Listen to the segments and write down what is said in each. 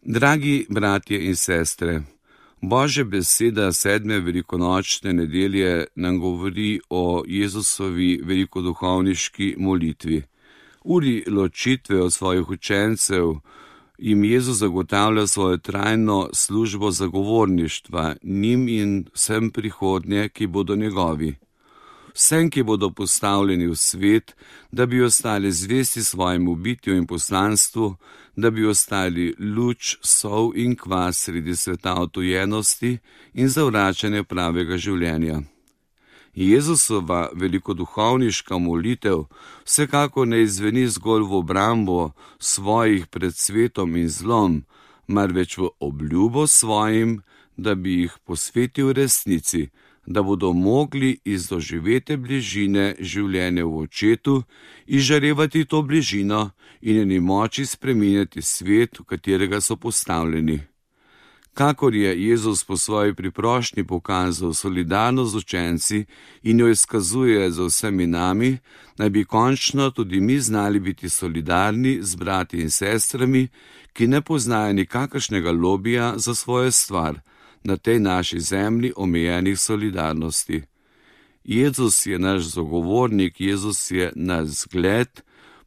Dragi bratje in sestre, Božja beseda 7. velikonočne nedelje nam govori o Jezusovi velikoduhovniški molitvi. Uri ločitve od svojih učencev jim Jezus zagotavlja svojo trajno službo zagovorništva njim in vsem prihodnje, ki bodo njegovi. Vsem, ki bodo postavljeni v svet, da bi ostali zvesti svojemu bitju in poslanstvu, da bi ostali luč, sol in kvas sredi sveta odtujenosti in zavračanja pravega življenja. Jezusova velikoduhovniška molitev vsekakor ne izveni zgolj v obrambo svojih pred svetom in zlom, marveč v obljubo svojim, da bi jih posvetil resnici, da bodo mogli iz doživete bližine življenja v očetu izžarevati to bližino in njeni moči spreminjati svet, v katerega so postavljeni. Kakor je Jezus po svoji priprošnji pokazal solidarnost z učenci in jo izkazuje za vsemi nami, naj bi končno tudi mi znali biti solidarni z brati in sestrami, ki ne poznajo nikakršnega lobija za svojo stvar, na tej naši zemlji omejenih solidarnosti. Jezus je naš zagovornik, Jezus je naš zgled,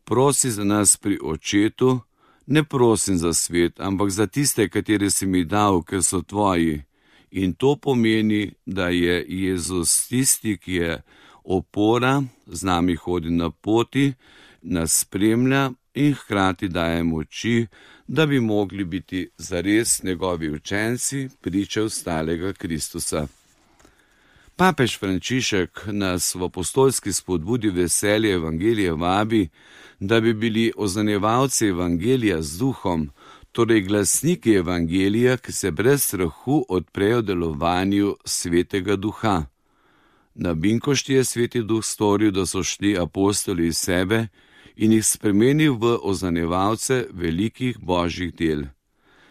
prosi za nas pri očetu, ne prosim za svet, ampak za tiste, katere si mi dal, ker so tvoji. In to pomeni, da je Jezus tisti, ki je opora, z nami hodi na poti, nas spremlja in hkrati daje moči, da bi mogli biti zares njegovi učenci, priče ostalega Kristusa. Papež Frančišek nas v apostolski spodbudi veselje evangelije vabi, da bi bili oznanjevalci evangelija z duhom, torej glasniki evangelija, ki se brez strahu odprejo delovanju svetega duha. Na Binkošti je sveti duh storil, da so šli apostoli iz sebe in jih spremenil v oznanjevalce velikih božjih del.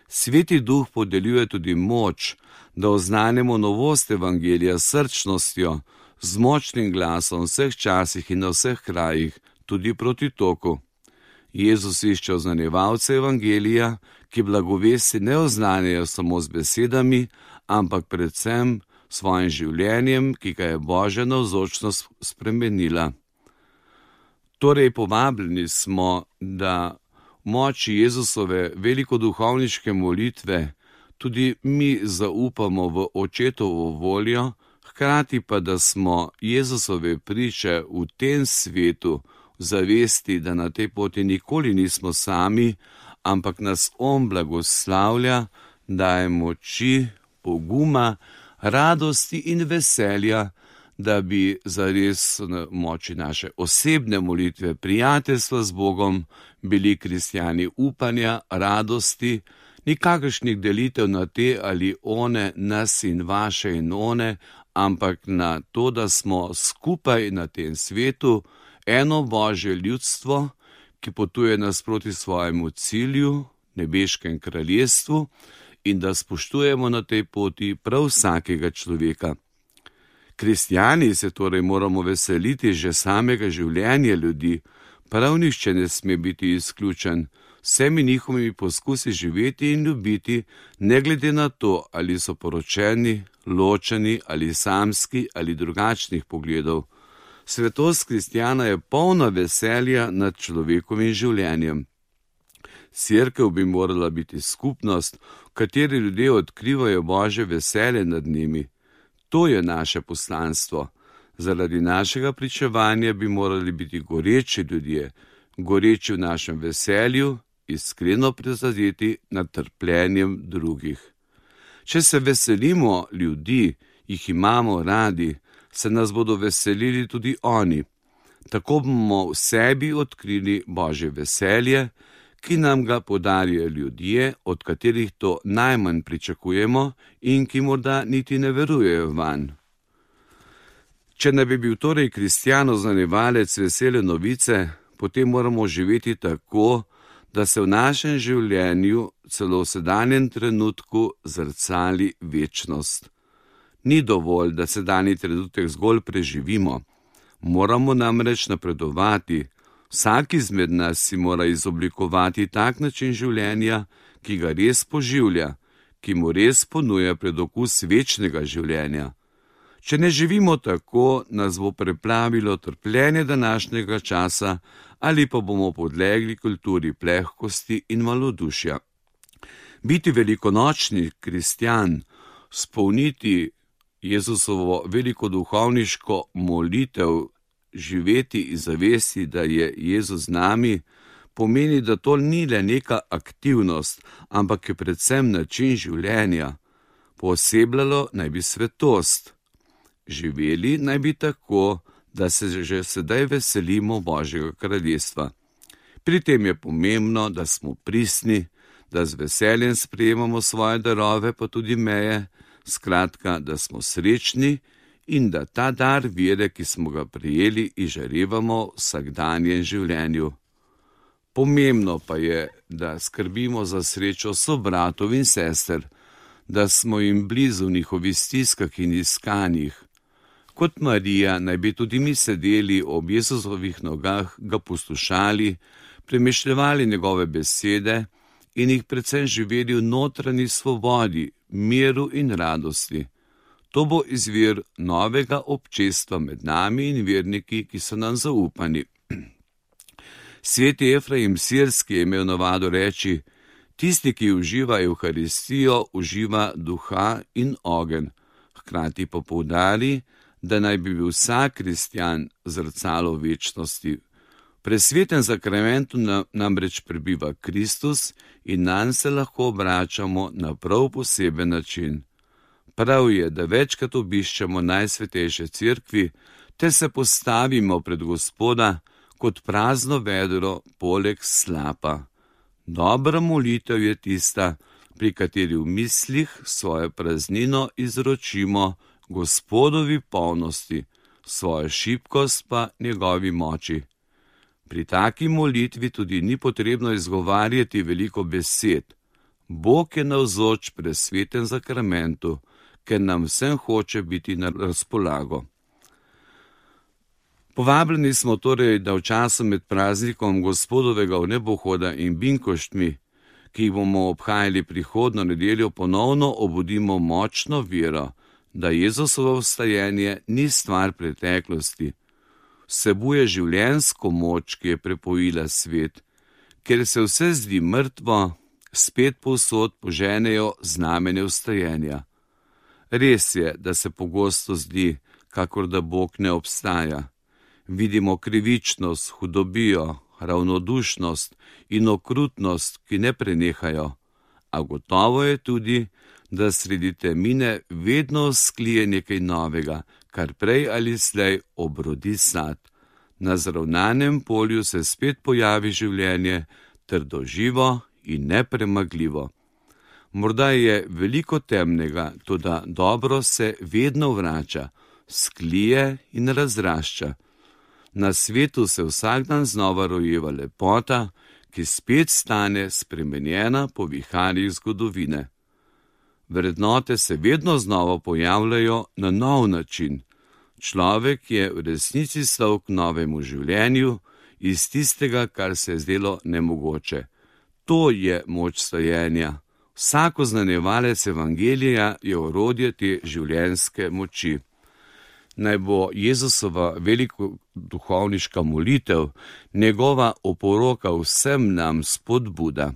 Sveti duh podeljuje tudi moč, da oznanimo novost evangelija s srčnostjo, z močnim glasom v vseh časih in na vseh krajih, tudi proti toku. Jezus išče oznanjevalce evangelija, ki blagovesti ne oznanjajo samo z besedami, ampak predvsem svojim življenjem, ki ga je Božja navzočnost spremenila. Torej povabljeni smo, da v moči Jezusove velikoduhovniške molitve tudi mi zaupamo v očetovo voljo, hkrati pa, da smo Jezusove priče v tem svetu, v zavesti, da na tej poti nikoli nismo sami, ampak nas On blagoslavlja, daje moči, poguma, radosti in veselja, da bi zares na moči naše osebne molitve, prijateljstva z Bogom, bili kristjani upanja, radosti, nikakršnih delitev na te ali one, nas in vaše in one, ampak na to, da smo skupaj na tem svetu eno Božje ljudstvo, ki potuje nasproti svojemu cilju, nebeškem kraljestvu, in da spoštujemo na tej poti prav vsakega človeka. Kristjani se torej moramo veseliti že samega življenja ljudi, prav nihče ne sme biti izključen, vsemi njihovimi poskusi živeti in ljubiti, ne glede na to, ali so poročeni, ločeni ali samski ali drugačnih pogledov. Svetost kristjana je polna veselja nad človekovim življenjem. Cerkev bi morala biti skupnost, v kateri ljudje odkrivajo Božje veselje nad njimi. To je naše poslanstvo. Zaradi našega pričevanja bi morali biti goreči ljudje, goreči v našem veselju, iskreno prizadeti nad trpljenjem drugih. Če se veselimo ljudi, jih imamo radi, se nas bodo veselili tudi oni. Tako bomo v sebi odkrili Božje veselje, ki nam ga podarijo ljudje, od katerih to najmanj pričakujemo in ki morda niti ne verujejo vanj. Če ne bi bil torej kristjan oznanjevalec vesele novice, potem moramo živeti tako, da se v našem življenju celo v sedanjem trenutku zrcali večnost. Ni dovolj, da sedanji trenutek zgolj preživimo. Moramo namreč napredovati. Vsak izmed nas si mora izoblikovati tak način življenja, ki ga res poživlja, ki mu res ponuja predokus večnega življenja. Če ne živimo tako, nas bo preplavilo trpljenje današnjega časa ali pa bomo podlegli kulturi plehkosti in malodušja. Biti velikonočni kristjan, spolniti Jezusovo velikoduhovniško molitev, živeti iz zavesti, da je Jezus z nami, pomeni, da to ni le neka aktivnost, ampak je predvsem način življenja. Poosebljalo naj bi svetost. Živeli naj bi tako, da se že sedaj veselimo Božjega kraljestva. Pri tem je pomembno, da smo pristni, da z veseljem sprejemamo svoje darove, pa tudi meje, skratka, da smo srečni in da ta dar vere, ki smo ga prejeli, izžarevamo v vsakdanjem življenju. Pomembno pa je, da skrbimo za srečo sobratov in sester, da smo jim blizu v njihovih stiskah in iskanjih. Kot Marija naj bi tudi mi sedeli ob Jezusovih nogah, ga poslušali, premišljevali njegove besede in jih predvsem živeli v notranji svobodi, miru in radosti. To bo izvir novega občestva med nami in verniki, ki so nam zaupani. Sveti Efraim Sirski je imel navado reči: tisti, ki uživa Evharistijo, uživa duha in ogenj. Hkrati pa poudari, da naj bi bil vsak kristjan zrcalo večnosti. V presvetem zakramentu namreč prebiva Kristus in nanj se lahko obračamo na prav poseben način. Prav je, da večkrat obiščemo Najsvetejše cerkvi, te se postavimo pred Gospoda kot prazno vedro poleg slapa. Dobra molitev je tista, pri kateri v mislih svojo praznino izročimo Gospodovi polnosti, svojo šibkost pa njegovi moči. Pri taki molitvi tudi ni potrebno izgovarjati veliko besed. Bog je navzoč pri svetem zakramentu, ker nam vsem hoče biti na razpolago. Povabljeni smo torej, da v času med praznikom Gospodovega vnebohoda in binkoštmi, ki jih bomo obhajali prihodnjo nedeljo, ponovno obudimo močno vero, da Jezusovo vstajenje ni stvar preteklosti. Vsebuje življenjsko moč, ki je prepojila svet, ker se vse zdi mrtvo, spet povsod poženejo znamenja vstajenja. Res je, da se pogosto zdi, kakor da Bog ne obstaja. Vidimo krivičnost, hudobijo, ravnodušnost in okrutnost, ki ne prenehajo. A gotovo je tudi, da sredi temine vedno vzklije nekaj novega, kar prej ali slej obrodi sad. Na zravnanem polju se spet pojavi življenje, trdoživo in nepremagljivo. Morda je veliko temnega, toda dobro se vedno vrača, sklije in razrašča. Na svetu se vsak dan znova rojeva lepota, ki spet stane spremenjena po viharjih zgodovine. Vrednote se vedno znova pojavljajo na nov način. Človek je v resnici stal k novemu življenju iz tistega, kar se je zdelo nemogoče. To je moč stajenja. Vsako znanjevalec evangelija je orodje te življenjske moči. Naj bo Jezusova velikoduhovniška molitev, njegova oporoka vsem nam spodbuda,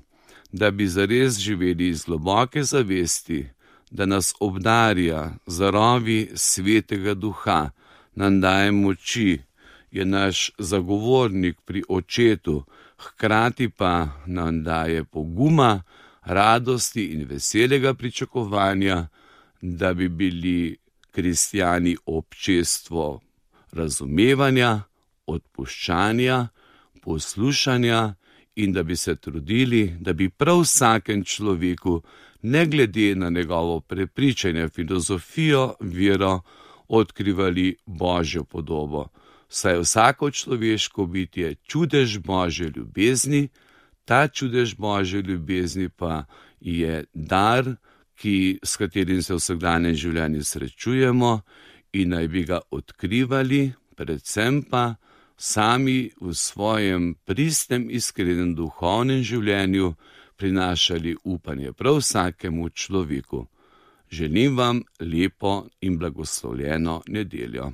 da bi zares živeli iz globoke zavesti, da nas obdarja zarovi svetega duha, nam daje moči, je naš zagovornik pri očetu, hkrati pa nam daje poguma, radosti in veselega pričakovanja, da bi bili kristjani občestvo razumevanja, odpuščanja, poslušanja in da bi se trudili, da bi prav vsakem človeku, ne glede na njegovo prepričanje, filozofijo, vero, odkrivali Božjo podobo. Saj vsako človeško bitje čudež Božje ljubezni, ta čudež Božje ljubezni pa je dar, s katerim se v vsakdanjem življenju srečujemo in naj bi ga odkrivali, predvsem pa sami v svojem pristnem, iskrenem duhovnem življenju prinašali upanje prav vsakemu človeku. Želim vam lepo in blagoslovljeno nedeljo.